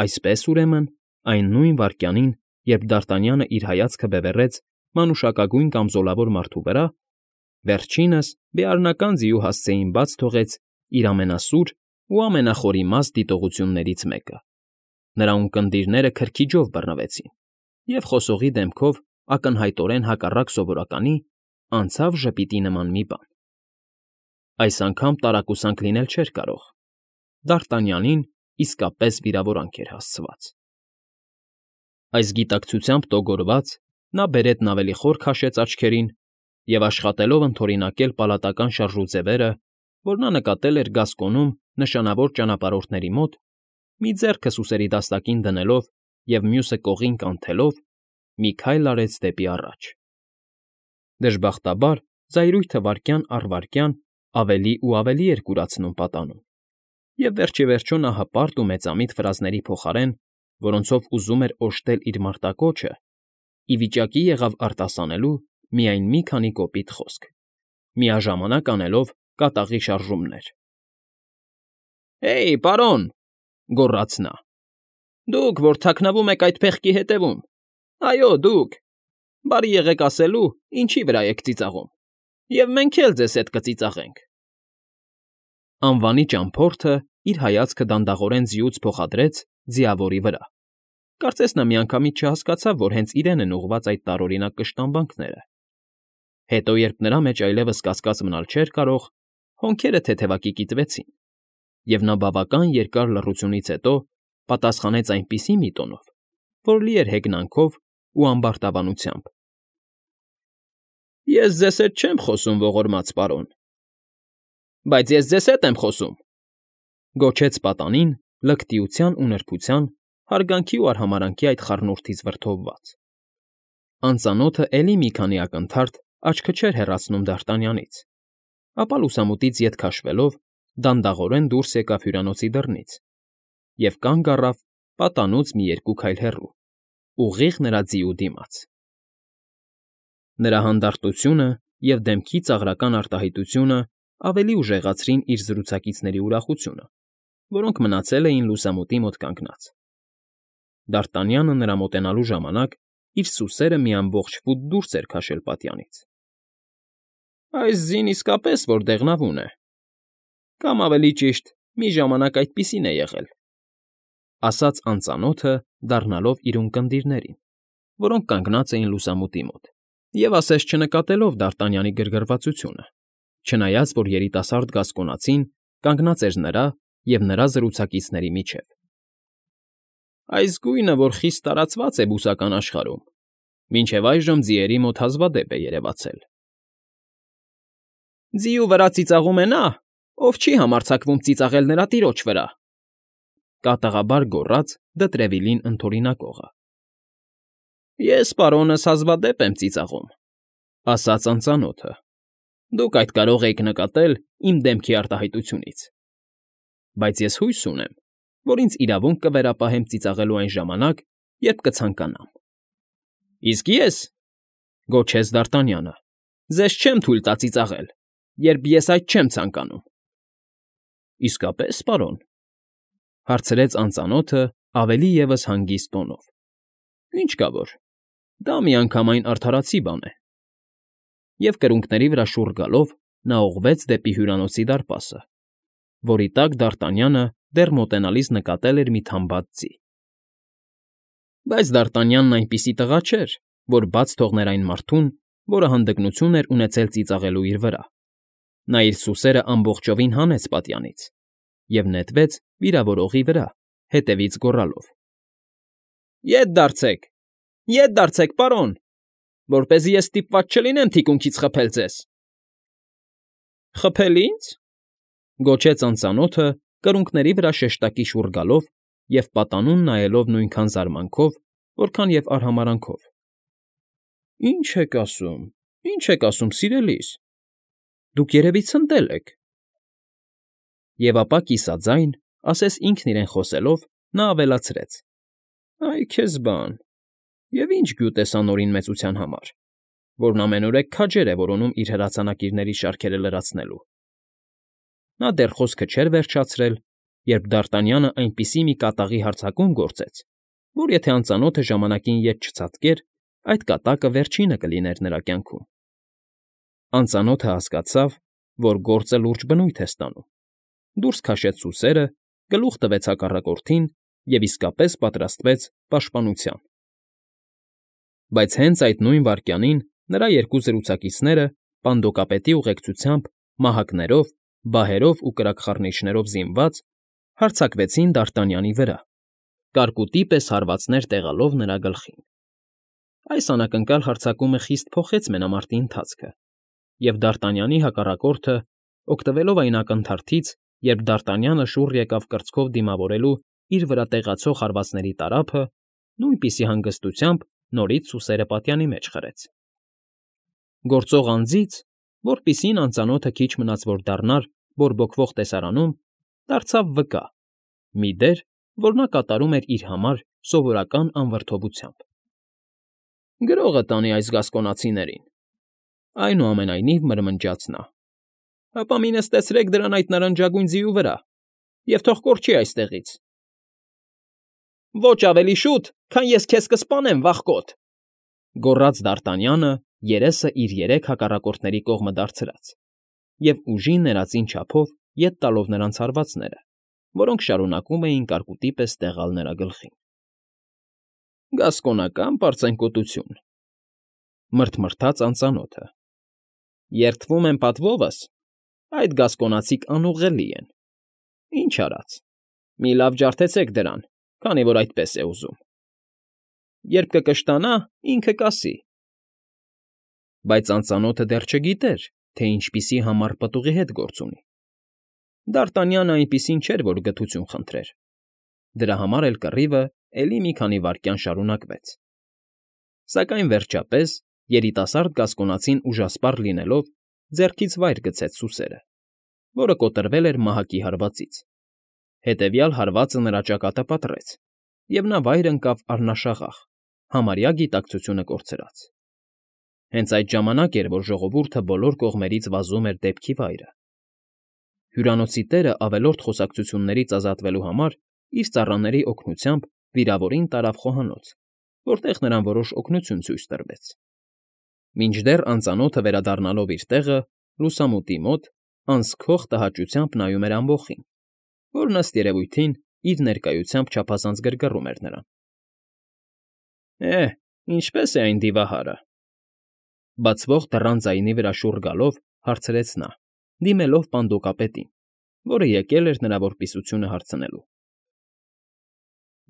Այսպես, ուրեմն, այն նույն վայրկյանին, երբ Դարտանյանը իր հայացքը բևեռեց մանուշակագույն կամզոլավոր մարդու վրա, վերջինս բեառնական ձիու հասցեին բաց թողեց իր ամենասուր ու ամենախորիմաստ դիտողություններից մեկը. նրա ունկնդիրները քրքիջով բռնվեցին, և խոսողի դեմքով ակնհայտորեն հակառակ սովորականի անցավ ժպիտի նման մի բան. այս անգամ տարակուսանք լինել չէր կարող. Դարտանյանին իսկապես վիրավորանք էր հասցված։ Այս գիտակցությամբ տոգորված՝ նա բերետն ավելի խոր քաշեց աչքերին և, աշխատելով ընդօրինակել պալատական շարժուձևերը, որ նա նկատել էր Գասկոնում նշանավոր ճանապարհորդների մոտ, մի ձեռքը սուսերի դաստակին դնելով և մյուսը կողին կանթելով, մի քայլ արեց դեպի առաջ։ Դժբախտաբար, զայրույթը վայրկյան առ վայրկյան ավելի ու ավելի էր կուրացնում պատանում, և վերջիվերջո նա հպարտ ու մեծամիտ ֆրազների փոխարեն, որոնցով ուզում էր օժտել իր մարտակոչը, ի վիճակի եղավ արտասանելու միայն մի քանի կոպիտ խոսք, միաժամանակ անելով կատաղի շարժումներ։ «Հեյ, պարոն,֊ գոռաց նա,֊ դուք, որ թաքնվում եք այդ փեղկի հետևում, այո, դուք, բարի եղեք ասելու, ինչի վրա եք ծիծաղում, և մենք էլ ձեզ հետ կծիծաղենք»։ Անվանի ճամփորդը իր հայացքը դանդաղորեն ձիուց փոխադրեց ձիավորի վրա. կարծես նա միանգամից չհասկացավ, որ հենց իրեն են ուղղված այդ տարօրինակ կշտամբանքները։ Հետո, երբ նրա մեջ այլևս կասկած մնալ չէր կարող, հոնքերը թեթևակի կիտվեցին, և նա բավական երկար լռությունից հետո պատասխանեց այնպիսի մի տոնով, որ լի էր հեգնանքով ու ամբարտավանությամբ. «Ես ձեզ հետ չեմ խոսում, ողորմած պարոն»։ «Բայց ես ձեզ հետ եմ խոսում», գոչեց պատանին լկտիության ու նրբության, հարգանքի ու արհամարհանքի այդ խառնուրդից վրդովված։ Անծանոթը էլի մի քանի ակնթարթ աչքը չէր հեռացնում Դարտանյանից, ապա լուսամուտից ետ քաշվելով դանդաղորեն դուրս եկավ հյուրանոցի դռնից և կանգ առավ պատանուց մի երկու քայլ հեռու, ուղիղ նրա ձիու դիմաց։ Նրա հանդարտությունը և դեմքի ծաղրական արտահայտությունը ավելի ուժեղացրին իր զրուցակիցների ուրախությունը, որոնք մնացել էին լուսամուտի մոտ կանգնած։ Դարտանյանը նրա մոտենալու ժամանակ իր սուսերը մի ամբողջ ֆուտ դուրս էր քաշել պատյանից։ «Այս ձին իսկապես որ դեղնավուն է, կամ ավելի ճիշտ, մի ժամանակ այդպիսին է եղել», ասաց անծանոթը, դառնալով իր ունկնդիրներին, որոնք կանգնած էին լուսամուտի մոտ, և ասես չնկատելով Դարտանյանի գրգռվածությունը, չնայած որ երիտասարդ գասկոնացին կանգնած էր նրա և նրա զրուցակիցների միջև։ «Այս գույնը, որ խիստ տարածված է բուսական աշխարհում, մինչև այժմ ձիերի մոտ հազվադեպ է երևացել»։ «Ձիու վրա ծիծաղում է նա, ով չի համարձակվում ծիծաղել նրա տիրոջ վրա», կատաղաբար գոռաց Դտրևիլին ընդօրինակողը։ «Ես, պարոնս, հազվադեպ եմ ծիծաղում», ասաց անծանոթը։ «Դուք այդ կարող էիք նկատել իմ դեմքի արտահայտությունից։ Բայց ես հույս ունեմ, որ ինձ իրավունք կվերապահեմ ծիծաղելու այն ժամանակ, երբ կցանկանամ»։ «Իսկ ես,֊ գոչեց Դարտանյանը,֊ ձեզ չեմ թույլ տա ծիծաղել, երբ ես այդ չեմ ցանկանում»։ «Իսկապե՞ս, պարոն,֊ հարցրեց անծանոթը ավելի ևս հանգիստ տոնով։ «Ինչ կա որ, դա միանգամայն արդարացի բան է»։ Եվ կրունկների վրա շուռ գալով նա ուղղվեց դեպի հյուրանոցի դարպասը, որի տակ Դարտանյանը դեռ մոտենալիս նկատել էր մի թամբած ձի։ Բայց Դարտանյանն այնպիսի տղա չէր, որ բաց թողներ այն մարդուն, որը հանդգնություն էր ունեցել ծիծաղելու իր վրա։ Նա իր սուսերն ամբողջովին հանեց պատյանից և նետվեց վիրավորողի վրա, հետևից գոռալով. Ետ դարձեք, պարոն, որպեսզի ես ստիպված չլինեմ թիկունքից խփել ձեզ։ «Խփել ի՞նձ», գոչեց անծանոթը կրունկների վրա շեշտակի շուռ գալով և պատանուն նայելով նույնքան զարմանքով, որքան և արհամարհանքով։ «Ինչ եք ասում, սիրելիս, դուք երևի ցնդել եք»։ Եվ ապա կիսաձայն, ասես ինքն իրեն խոսելով, նա ավելացրեց. «Այ քեզ բան, և ինչ գյուտ ես անօրին մեծության համար, որն ամենուրեք քաջեր է որոնում իր հրացանակիրների շարքերը լրացնելու»։ Նա դեռ խոսքը չէր վերջացրել, երբ Դ'Արտանյանը այնպիսի մի կատաղի հարձակում գործեց, որ եթե անծանոթը ժամանակին ետ չցատկեր, այդ կատակը վերջինը կլիներ նրա կյանքում։ Անծանոթը հասկացավ, որ գործը լուրջ բնույթ է ստանում, դուրս քաշեց սուսերը, գլուխ տվեց հակառակորդին և իսկապես պատրաստվեց պաշտպանության։ Բայց հենց այդ նույն վայրկյանին նրա երկու զրուցակիցները, պանդոկապետի ուղեկցությամբ, մահակներով, բահերով ու կրակխառնիչներով զինված, հարձակվեցին Դ'Արտանյանի վրա, կարկուտի պես հարվածներ տեղալով նրա գլխին։ Այս անակնկալ հարձակումը խիստ փոխեց մենամարտի ընթացքը, և Դ'Արտանյանի հակառակորդը, օգտվելով այն ակնթարթից, երբ Դ'Արտանյանը շուռ եկավ կրծքով դիմավորելու իր վրա տեղացող հարվածների տարափը, նույնպիսի հանգստությամբ նորից սուսերը պատյանի մեջ խրեց։ Գործող անձից, որպիսին անծանոթը քիչ մնաց որ դառնար բորբոքվող տեսարանում, դարձավ վկա, մի դեր, որ նա կատարում էր իր համար սովորական անվրդովությամբ։ Գրողը տանի այս գասկոնացիներին, այնուամենայնիվ մրմնջաց նա։ Հապա մի նստեցրեք դրան այդ նարնջագույն ձիու վրա և թող կորչի այստեղից։ Ոչ ավելի շուտ, քան ես քեզ կսպանեմ, վախկոտ,֊ գոռաց Դ'Արտանյանը, երեսը իր երեք հակառակորդների կողմը դարձրած և ուժի ներածին չափով ետ տալով նրանց հարվածները, որոնք շարունակում էին կարկուտի պես տեղալ նրա գլխին։ Գասկոնական պարծենկոտություն,֊ մռթմռթաց անծանոթը։ Երդվում եմ պատվովս, այդ գասկոնացիք անուղղելի են։ Ինչ արած, մի լավ ջարդեցեք դրան, քանի որ այդպես է ուզում։ Երբ կկշտանա, ինքը կասի։ Բայց անծանոթը դեռ չգիտեր, թե ինչպիսի համառ պտուղի հետ գործ ունի։ Դ'Արտանյանը այնպիսին չէր, որ գթություն խնդրեր։ Դրա համար էլ կռիվը էլի մի քանի վայրկյան շարունակվեց։ Սակայն վերջապես երիտասարդ գասկոնացին ուժասպառ լինելով, ձեռքից վայր գցեց սուսերը, որը կոտրվել էր մահակի հարվածից։ Հետևյալ հարվածը նրա ճակատը պատռեց, և նա վայր ընկավ առնաշաղախ, համարյա գիտակցությունը կորցրած։ Հենց այդ ժամանակ էր, որ ժողովուրդը բոլոր կողմերից վազում էր դեպքի վայրը։ Հյուրանոցի տերը ավելորդ խոսակցություններից ազատվելու համար իր ծառաների օգնությամբ վիրավորին տարավ խոհանոց, որտեղ նրան որոշ օգնություն ցույց տրվեց։ Մինչդեռ անծանոթը վերադառնալով իր տեղը, լուսամուտի մոտ, անսքող տհաճությամբ նայում էր ամբոխին, որն ըստ երևույթին իր ներկայությամբ չափազանց գրգռում էր նրան։ Ինչպե՞ս է այն դիվահարը,֊ բացվող դռան ձայնի վրա շուռ գալով հարցրեց նա, դիմելով պանդոկապետին, որը եկել էր նրա որպիսությունը հարցնելու։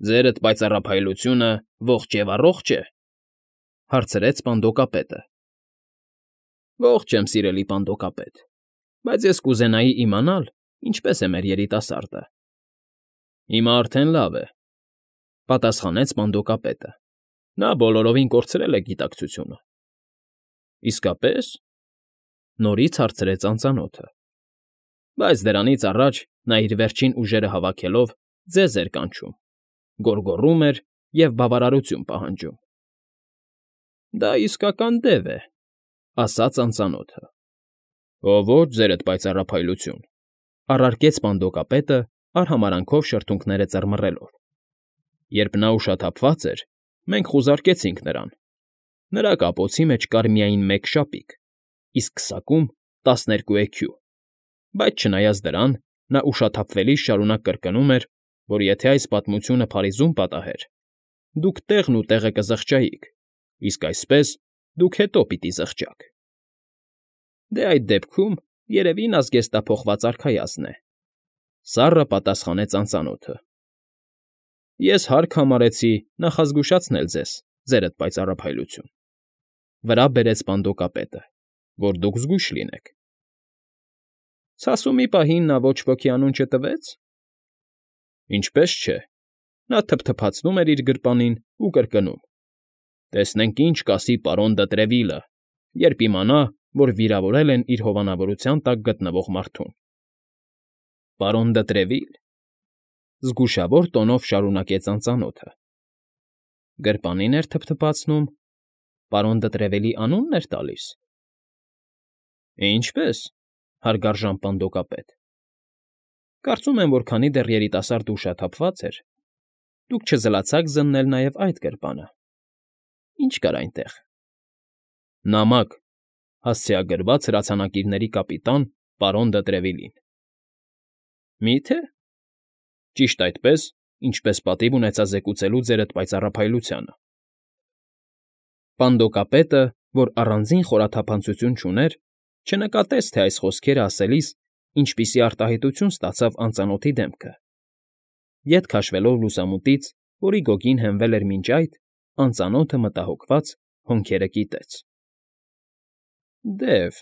Ձերդ պայծառափայլությունը ողջ և առողջ է,֊ հարցրեց պանդոկապետը։ Ողջ եմ, սիրելի պանդոկապետ, բայց ես կուզենայի իմանալ, ինչպես է մեր երիտասարդը։ Հիմա արդեն լավ է,֊ պատասխանեց պանդոկապետը։ Նա բոլորովին կորցրել է գիտակցությունը։ Իսկապե՞ս,֊ նորից հարցրեց անծանոթը։ Բայց դրանից առաջ նա իր վերջին ուժերը հավաքելով ձեզ էր կանչում, գոռգոռում էր և բավարարություն պահանջում։ Դա իսկական դև է,֊ ասաց անծանոթը։ Ոչ, ձերդ պայծառափայլություն,֊ առարկեց պանդոկապետը, արհամարանքով շրթունքները ծռմռելով։ Երբ նա ուշաթափված էր, մենք խուզարկեցինք նրան։ Նրա կապոցի մեջ կար միայն մեկ շապիկ, իսկ քսակում 12 էքյու, բայց չնայած դրան, նա ուշաթափվելիս շարունակ կրկնում էր, որ եթե այս պատմությունը Փարիզում պատահեր, դուք տեղն ու տեղը կզղջայիք, իսկ այսպես դուք հետո պիտի զղջաք։ Դե այդ դեպքում, երևի նա զգեստափոխված արքայազն է,֊ սառը պատասխանեց անծանոթը։ Ես հարկ համարեցի նախազգուշացնել ձեզ, ձերդ պայծառափայլություն,֊ վրա բերեց պանդոկապետը, որ դուք զգույշ լինեք։ Ցասումի պահին նա ոչ ոքի անուն չտվեց։ Ինչպես չէ, նա թփթփացնում էր իր գրպանին ու կրկնում. Տեսնենք ինչ կասի պարոն դը Տրևիլը, երբ իմանա, որ վիրավորել են իր հովանավորության տակ գտնվող մարդուն։ Պարոն դը Տրևիլ,֊ զգուշավոր տոնով շարունակեց անծանոթը։ Գրպանին էր թփթփացնում, պարոն դը Տրևելի անունն էր տալիս։ Ինչպե՞ս,֊ հարգարժան պանդոկապետ։ Կարծում եմ, որ քանի դեռ երիտասարդ ուշաթափված էր, դուք չզլացաք զննել նաև այդ գրպանը. ինչ կար այնտեղ։ Նամակ, հասցեագրված հրացանակիրների կապիտան պարոն դը Տրևիլին։ Մի՞թե։ Ճիշտ այդպես, ինչպես պատիվ ունեցա զեկուցելու ձերդ պայծառափայլությանը։ Պանդոկապետը, որ առանձին խորաթափանցություն չուներ, չնկատեց, թե այս խոսքերը ասելիս ինչպիսի արտահայտություն ստացավ անծանոթի դեմքը։ Ետ քաշվելով լուսամուտից, որի գոգին հենվել էր մինչ այդ, անծանոթը մտահոգված հոնքերը կիտեց։ Դև,֊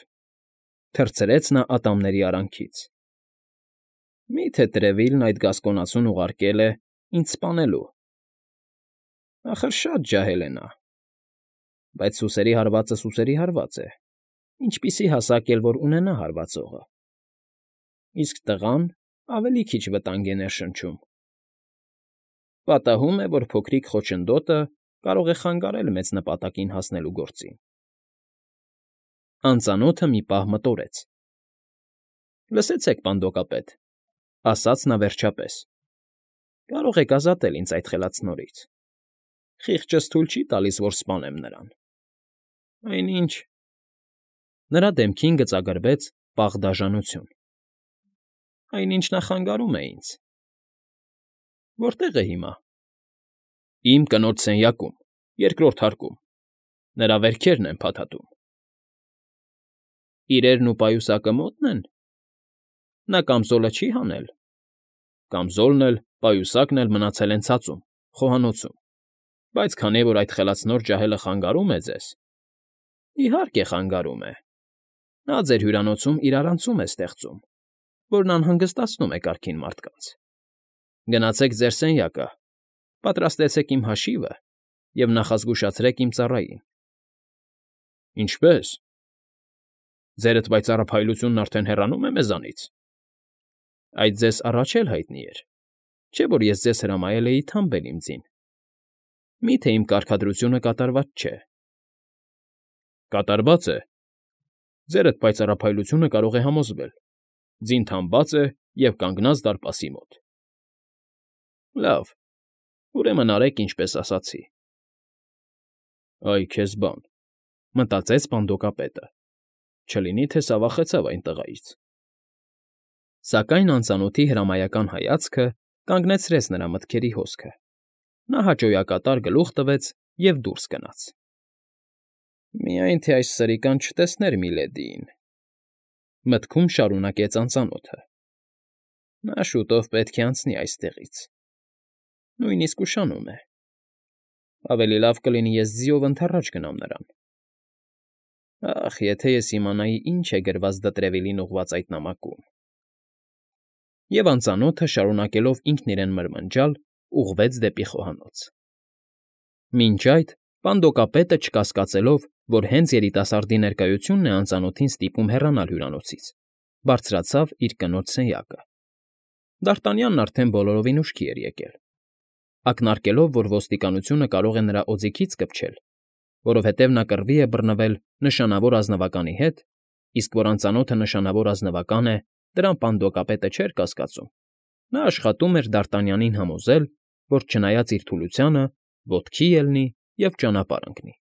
թռցրեց նա ատամների արանքից։ Մի՞թե Տրևիլն այդ գասկոնացուն ուղարկել է ինձ սպանելու։ Ախր շատ ջահել է նա։ Բայց սուսերի հարվածը սուսերի հարված է, ինչպիսի հասակ էլ որ ունենա հարվածողը։ Իսկ տղան ավելի քիչ վտանգ է ներշնչում։ Պատահում է, որ փոքրիկ խոչընդոտը կարող է խանգարել մեծ նպատակին հասնելու գործին։ Անծանոթը մի պահ մտորեց։ Լսեցեք, պանդոկապետ,֊ ասաց նա վերջապես. կարող եք ազատել ինձ այդ խելացնորից։ Խիղճս թույլ չի տալիս, որ սպանեմ նրան։ Այնինչ… Նրա դեմքին գծագրվեց պաղ դաժանություն։ Այնինչ նա խանգարում է ինձ։ Որտե՞ղ է հիմա։ Իմ կնոջ սենյակում, երկրորդ հարկում։ Նրա վերքերն են փաթաթում։ Իրերն ու պայուսակը մոտ՞ն են։ Նա կամզոլը չի հանել։ Կամզոլն էլ, պայուսակն էլ մնացել են ցածում, խոհանոցում։ Բայց քանի որ այդ խելացնոր ջահելը խանգարում է ձեզ… Իհարկե խանգարում է։ Նա ձեր հյուրանոցում իրարանցում է ստեղծում, որն անհանգստացնում է կարգին մարդկանց։ Գնացեք ձեր սենյակը, պատրաստեցեք իմ հաշիվը և նախազգուշացրեք իմ ծառային։ Ինչպե՞ս։ Ձերդ պայծառափայլությունն արդեն հեռանում է մեզանից։ Այդ ձեզ առաջ էլ հայտնի էր, չէ՞ որ ես ձեզ հրամայել էի թամբել իմ ձին։ Մի՞թե իմ կարգադրությունը կատարված չէ։ Կատարված է։ Ձերդ պայծառափայլությունը կարող է համոզվել։ Ձին թամբած է և կանգնած դարպասի մոտ։ Լավ, ուրեմն արեք, ինչպես ասացի։ Այ քեզ բան,֊ մտածեց պանդոկապետը, չլինի թե սավախեցավ այն տղայից։ Սակայն անծանոթի հրամայական հայացքը կանգնեցրեց նրա մտքերի հոսքը։ Նա հաճոյակատար գլուխ տվեց և դուրս գնաց։ Միայն թե այս սրիկան չտեսներ միլեդիին,֊ մտքում շարունակեց անծանոթը։ Նա շուտով պետք է անցնի այստեղից։ Նույնիսկ ուշանում է։ Ավելի լավ կլինի ես ձիով ընդառաջ գնամ նրան։ Ախ, եթե ես իմանայի, ինչ է գրված Դտրևիլին ուղված այդ նամակում… Եվ անծանոթը, շարունակելով ինքն իրեն մրմնջալ, ուղղվեց դեպի խոհանոց։ Մինչ այդ պանդոկապետը, չկասկածելով, որ հենց երիտասարդի ներկայությունն է անծանոթին ստիպում հեռանալ հյուրանոցից, բարձրացավ իր կնոջ սենյակը։ Դ'Արտանյանն արդեն բոլորովին ուշքի էր եկել։ Ակնարկելով, որ ոստիկանությունը կարող է նրա օձիքից կպչել, որովհետև նա կռվի է բռնվել նշանավոր ազնվականի հետ, իսկ որ անծանոթը նշանավոր ազնվական է, դրան պանդոկապետը չէր կասկածում, նա աշխատում էր Դ'Արտանյանին համոզել, որ չնայած իր թուլությանը, ոտքի ելնի և ճանապարհ ընկնի։